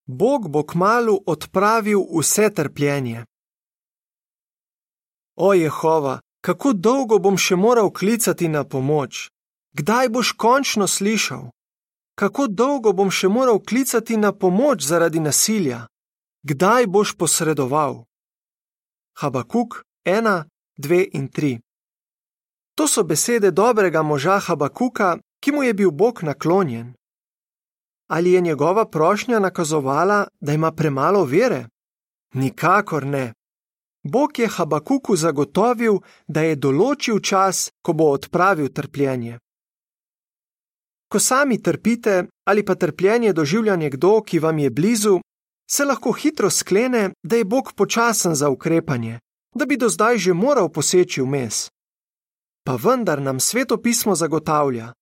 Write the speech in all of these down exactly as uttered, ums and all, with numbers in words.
Bog bo kmalu odpravil vse trpljenje. O Jehova, kako dolgo bom še moral klicati na pomoč? Kdaj boš končno slišal? Kako dolgo bom še moral klicati na pomoč zaradi nasilja? Kdaj boš posredoval? Habakuk ena, dve in tri. To so besede dobrega moža Habakuka, ki mu je bil Bog naklonjen. Ali je njegova prošnja nakazovala, da ima premalo vere? Nikakor ne. Bog je Habakuku zagotovil, da je določil čas, ko bo odpravil trpljenje. Ko sami trpite ali pa trpljenje doživlja nekdo, ki vam je blizu, se lahko hitro sklene, da je Bog počasen za ukrepanje, da bi do zdaj že moral poseči vmes. Pa vendar nam Sveto pismo zagotavlja: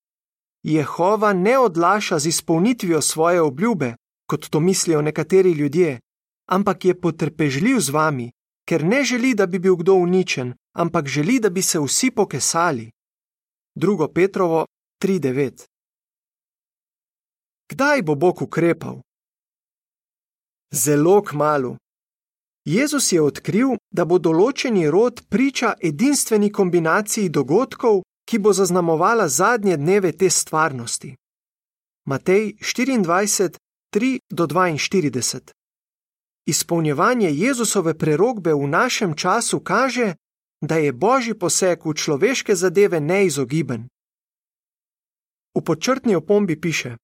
Jehova ne odlaša z izpolnitvijo svoje obljube, kot to mislijo nekateri ljudje, ampak je potrpežljiv z vami, ker ne želi, da bi bil kdo uničen, ampak želi, da bi se vsi pokesali. drugo Petrovo tri devet. Kdaj bo Bog ukrepal? Zelo kmalu. Jezus je odkril, da bo določeni rod priča edinstveni kombinaciji dogodkov, ki bo zaznamovala zadnje dneve te stvarnosti. Matej štiriindvajset, tri do dvainštirideset. Izpolnjevanje Jezusove prerokbe v našem času kaže, da je Božji poseg v človeške zadeve neizogiben. V podčrtni opombi piše: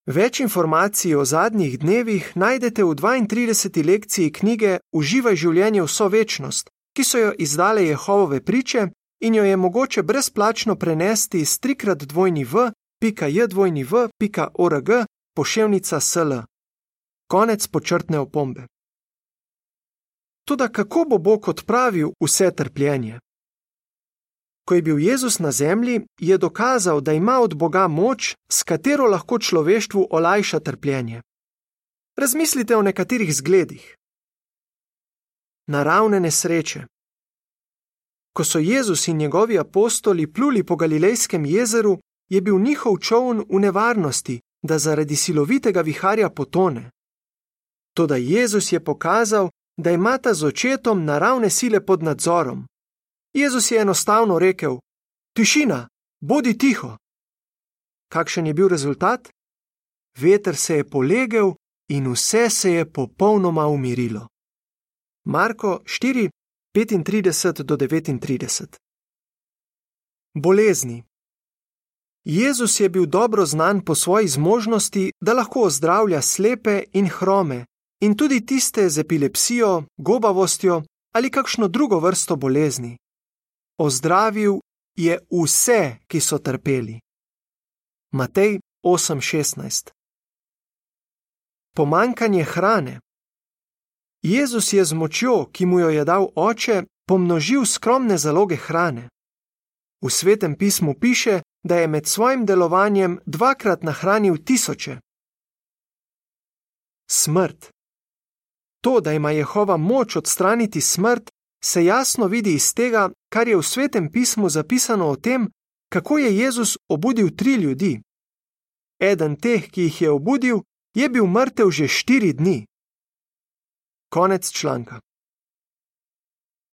Več informacij o zadnjih dnevih najdete v dvaintrideseti lekciji knjige Uživaj življenje vso večnost, ki so jo izdale Jehovove priče in jo je mogoče brezplačno prenesti s trikrat dvojni v pika j dvojni v pika org poševnica sl. Konec podčrtne opombe. Toda kako bo Bog odpravil vse trpljenje? Ko je bil Jezus na zemlji, je dokazal, da ima od Boga moč, s katero lahko človeštvu olajša trpljenje. Razmislite o nekaterih zgledih. Naravne nesreče. Ko so Jezus in njegovi apostoli pluli po Galilejskem jezeru, je bil njihov čoln v nevarnosti, da zaradi silovitega viharja potone. Toda Jezus je pokazal, da imata z očetom naravne sile pod nadzorom. Jezus je enostavno rekel: Tišina, bodi tiho. Kakšen je bil rezultat? Veter se je polegel in vse se je popolnoma umirilo. Marko štiri, petintrideset do devetintrideset. Bolezni. Jezus je bil dobro znan po svoji zmožnosti, da lahko ozdravlja slepe in hrome in tudi tiste z epilepsijo, gobavostjo ali kakšno drugo vrsto bolezni. Ozdravil je vse, ki so trpeli. Matej osem šestnajst. Pomanjkanje hrane. Jezus je z močjo, ki mu jo je dal Oče, pomnožil skromne zaloge hrane. V Svetem pismu piše, da je med svojim delovanjem dvakrat nahranil tisoče. Smrt. To, da ima Jehova moč odstraniti smrt, se jasno vidi iz tega, kar je v Svetem pismu zapisano o tem, kako je Jezus obudil tri ljudi. Eden teh, ki jih je obudil, je bil mrtev že štiri dni. Konec članka.